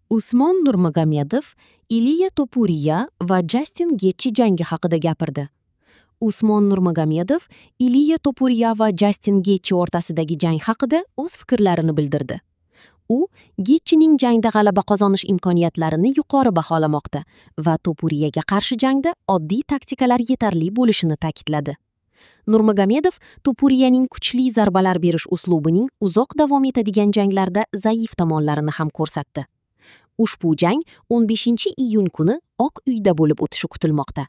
Usmon Nurmagomedov Iliya Topuriya va Jastin Getchi jangi haqida gapirdi. Usmon Nurmagomedov Iliya Topuriya va Jastin Getchi o'rtasidagi jang haqida o'z fikrlarini bildirdi. U Getchining jangda g'alaba qozonish imkoniyatlarini yuqori baholamoqda va Topuriyaga qarshi jangda oddiy taktikalar yetarli bo'lishini ta'kidladi. Nurmagomedov Topuriyaning kuchli zarbalar berish uslubining uzoq davom etadigan janglarda zaif tomonlarini ham ko'rsatdi. Ushbu jang 15-iyun kuni Oq uyda bo'lib o'tishi kutilmoqda.